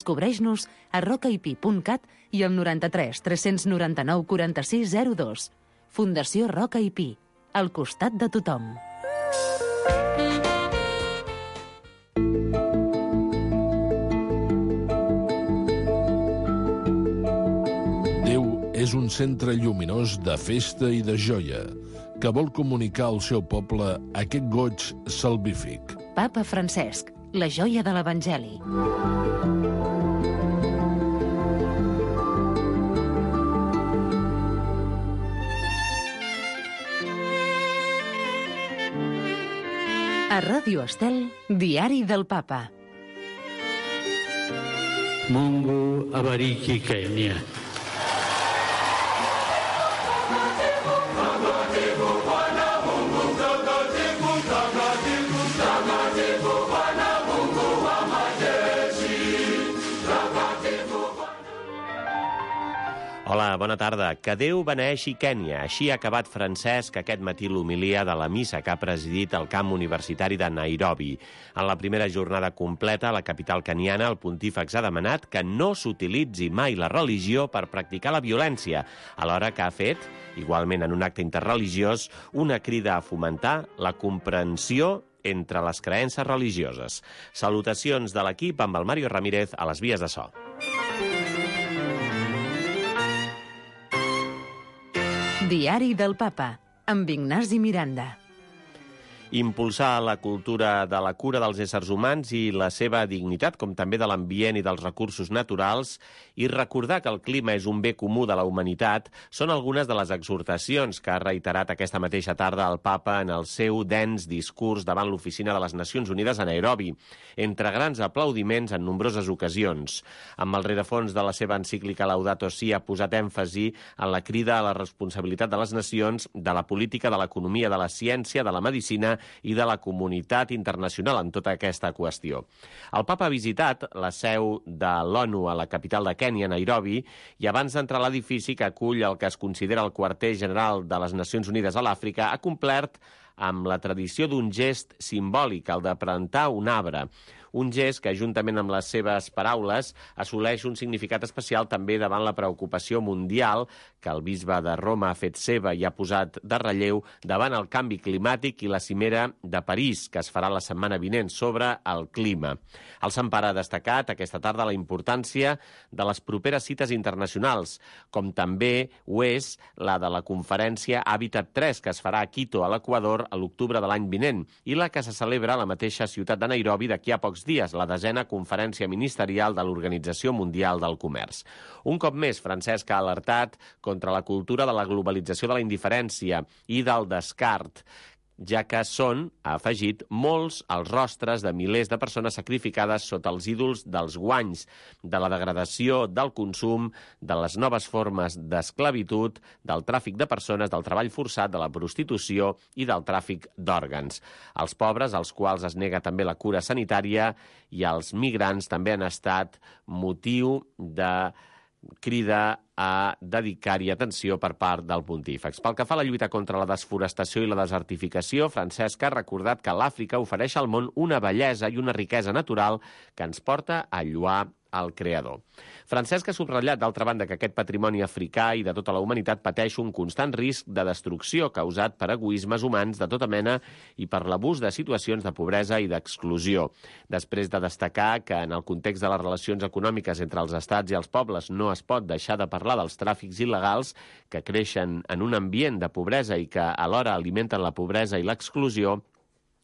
Descobreix-nos a rocaip.cat i al 93 399 46 02. Fundació Roca i Pi, al costat de tothom. Déu és un centre lluminós de festa i de joia que vol comunicar al seu poble aquest goig salvífic. Papa Francesc, la joia de l'Evangeli. A Ràdio Estel, Diari del Papa. Mungu abariki Kenya. Hola, bona tarda. Que Déu beneeixi Kènia. Així ha acabat Francesc aquest matí l'homilia de la missa que ha presidit el camp universitari de Nairobi. En la primera jornada completa a la capital keniana, el pontífex ha demanat que no s'utilitzi mai la religió per practicar la violència, alhora que ha fet, igualment en un acte interreligiós, una crida a fomentar la comprensió entre les creences religioses. Salutacions de l'equip amb el Mario Ramírez a les vies de so. Diari del Papa, amb Ignasi Miranda. Impulsar la cultura de la cura dels éssers humans i la seva dignitat, com també de l'ambient i dels recursos naturals, i recordar que el clima és un bé comú de la humanitat, són algunes de les exhortacions que ha reiterat aquesta mateixa tarda el Papa en el seu dens discurs davant l'Oficina de les Nacions Unides a Nairobi, entre grans aplaudiments en nombroses ocasions. Amb el rerefons de la seva encíclica Laudato Si ha posat èmfasi en la crida a la responsabilitat de les nacions, de la política, de l'economia, de la ciència, de la medicina i de la comunitat internacional en tota aquesta qüestió. El Papa ha visitat la seu de l'ONU a la capital de Kènia, Nairobi, i abans d'entrar a l'edifici que acull el que es considera el quarter general de les Nacions Unides a l'Àfrica, ha complert amb la tradició d'un gest simbòlic, el de plantar un arbre. Un gest que, juntament amb les seves paraules, assoleix un significat especial també davant la preocupació mundial que el bisbe de Roma ha fet seva i ha posat de relleu davant el canvi climàtic i la cimera de París, que es farà la setmana vinent sobre el clima. El Sant Pare ha destacat aquesta tarda la importància de les properes cites internacionals, com també ho és la de la conferència Habitat 3, que es farà a Quito, a l'Equador, a l'octubre de l'any vinent, i la que se celebra a la mateixa ciutat de Nairobi d'aquí a pocs dies, la 10a conferència ministerial de l'Organització Mundial del Comerç. Un cop més, Francesc ha alertat contra la cultura de la globalització de la indiferència i del descart, ja que són, ha afegit, molts els rostres de milers de persones sacrificades sota els ídols dels guanys, de la degradació, del consum, de les noves formes d'esclavitud, del tràfic de persones, del treball forçat, de la prostitució i del tràfic d'òrgans. Els pobres, als quals es nega també la cura sanitària, i els migrants també han estat motiu de crida a dedicar-hi atenció per part del pontífex. Pel que fa a la lluita contra la desforestació i la desertificació, Francesc ha recordat que l'Àfrica ofereix al món una bellesa i una riquesa natural que ens porta a lloar al Creador. Francesc ha subratllat, d'altra banda, que aquest patrimoni africà i de tota la humanitat pateix un constant risc de destrucció causat per egoismes humans de tota mena i per l'abús de situacions de pobresa i d'exclusió. Després de destacar que en el context de les relacions econòmiques entre els estats i els pobles no es pot deixar de parlar dels tràfics il·legals que creixen en un ambient de pobresa i que alhora alimenten la pobresa i l'exclusió,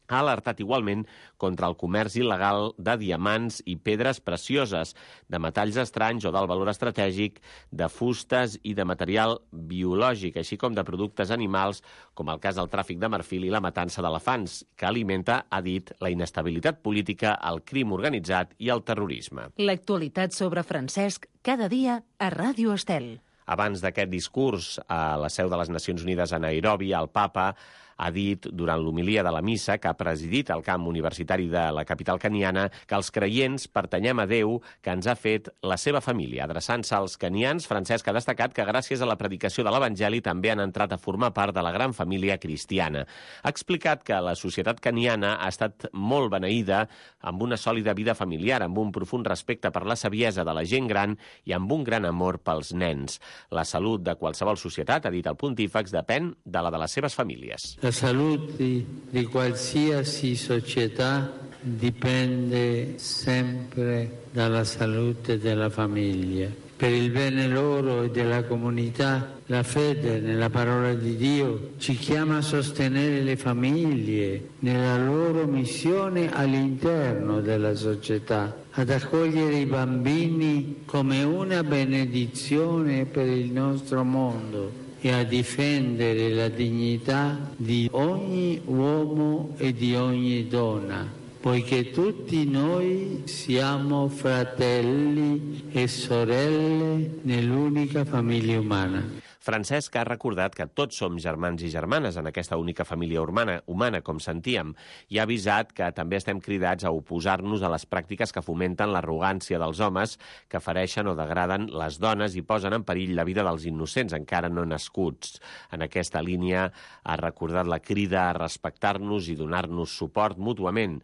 ha alertat igualment contra el comerç il·legal de diamants i pedres precioses, de metalls estranys o d'alt valor estratègic, de fustes i de material biològic, així com de productes animals, com el cas del tràfic de marfil i la matança d'elefants, que alimenta, ha dit, la inestabilitat política, el crim organitzat i el terrorisme. L'actualitat sobre Francesc, cada dia a Ràdio Estel. Abans d'aquest discurs a la seu de les Nacions Unides a Nairobi, el Papa ha dit durant l'homilia de la missa que ha presidit el camp universitari de la capital keniana que els creients pertanyem a Déu que ens ha fet la seva família. Adreçant-se als kenians, Francesc ha destacat que gràcies a la predicació de l'Evangeli també han entrat a formar part de la gran família cristiana. Ha explicat que la societat keniana ha estat molt beneïda amb una sòlida vida familiar, amb un profund respecte per la saviesa de la gent gran i amb un gran amor pels nens. La salut de qualsevol societat, ha dit el pontífex, depèn de la de les seves famílies. La salute di qualsiasi società dipende sempre dalla salute della famiglia. Per il bene loro e della comunità, la fede nella parola di Dio ci chiama a sostenere le famiglie nella loro missione all'interno della società, ad accogliere i bambini come una benedizione per il nostro mondo e a difendere la dignità di ogni uomo e di ogni donna, poiché tutti noi siamo fratelli e sorelle nell'unica famiglia umana. Francesc ha recordat que tots som germans i germanes en aquesta única família humana, com sentíem, i ha avisat que també estem cridats a oposar-nos a les pràctiques que fomenten l'arrogància dels homes, que fereixen o degraden les dones i posen en perill la vida dels innocents encara no nascuts. En aquesta línia ha recordat la crida a respectar-nos i donar-nos suport mútuament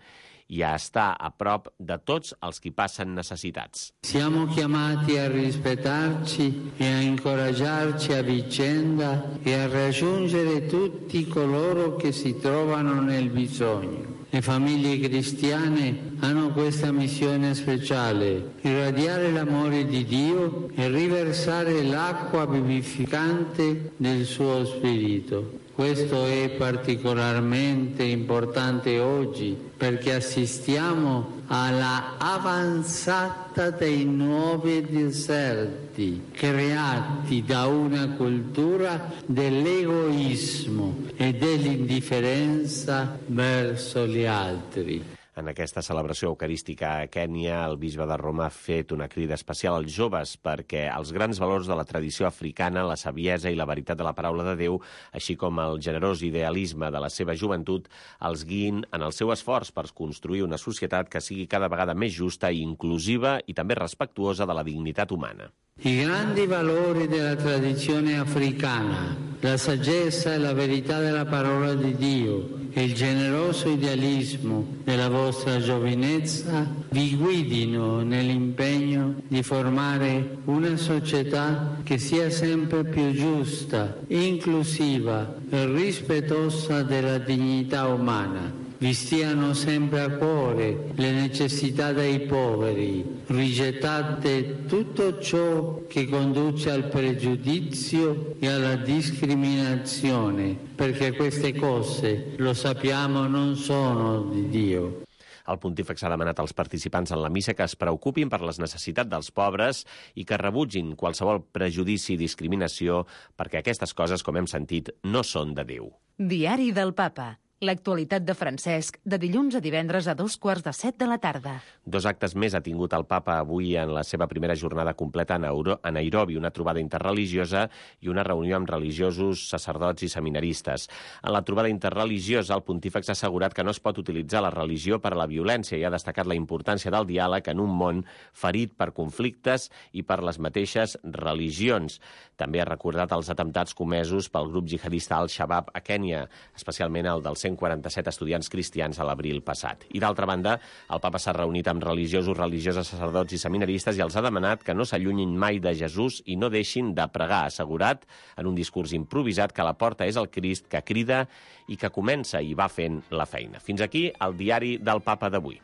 i a estar a prop de tots els qui passen necessitats. Siamo chiamati a rispettarci e a incoraggiarci a vicenda e a raggiungere tutti coloro che si trovano nel bisogno. Le famiglie cristiane hanno questa missione speciale, irradiare l'amore di Dio e riversare l'acqua vivificante del suo spirito. Questo è particolarmente importante oggi perché assistiamo alla avanzata dei nuovi deserti creati da una cultura dell'egoismo e dell'indifferenza verso gli altri. En aquesta celebració eucarística a Kènia, el bisbe de Roma ha fet una crida especial als joves perquè els grans valors de la tradició africana, la saviesa i la veritat de la paraula de Déu, així com el generós idealisme de la seva joventut, els guiïn en el seu esforç per construir una societat que sigui cada vegada més justa i inclusiva i també respectuosa de la dignitat humana. I grandi valori della tradizione africana, la saggezza e la verità della parola di Dio e il generoso idealismo della vostra giovinezza vi guidino nell'impegno di formare una società che sia sempre più giusta, inclusiva e rispettosa della dignità umana. Vi stiano sempre a cuore le necessità dei poveri, rigettate tutto ciò che conduce al pregiudizio e alla discriminazione, perché queste cose, lo sappiamo, non sono di Dio. El pontífex ha demanat als participants en la missa que es preocupin per les necessitats dels pobres i que rebutgin qualsevol prejudici i discriminació perquè aquestes coses, com hem sentit, no són de Déu. Diari del Papa. L'actualitat de Francesc, de dilluns a divendres a 6:45 de la tarda. 2 actes més ha tingut el papa avui en la seva primera jornada completa a Nairobi, una trobada interreligiosa i una reunió amb religiosos, sacerdots i seminaristes. En la trobada interreligiosa, el pontífex ha assegurat que no es pot utilitzar la religió per a la violència i ha destacat la importància del diàleg en un món ferit per conflictes i per les mateixes religions. També ha recordat els atemptats comesos pel grup jihadista Al-Shabaab a Kènia, especialment el dels 147 estudiants cristians a l'abril passat. I d'altra banda, el papa s'ha reunit amb religiosos, religioses, sacerdots i seminaristes i els ha demanat que no s'allunyin mai de Jesús i no deixin de pregar, assegurat en un discurs improvisat que la porta és el Crist que crida i que comença i va fent la feina. Fins aquí el diari del papa d'avui.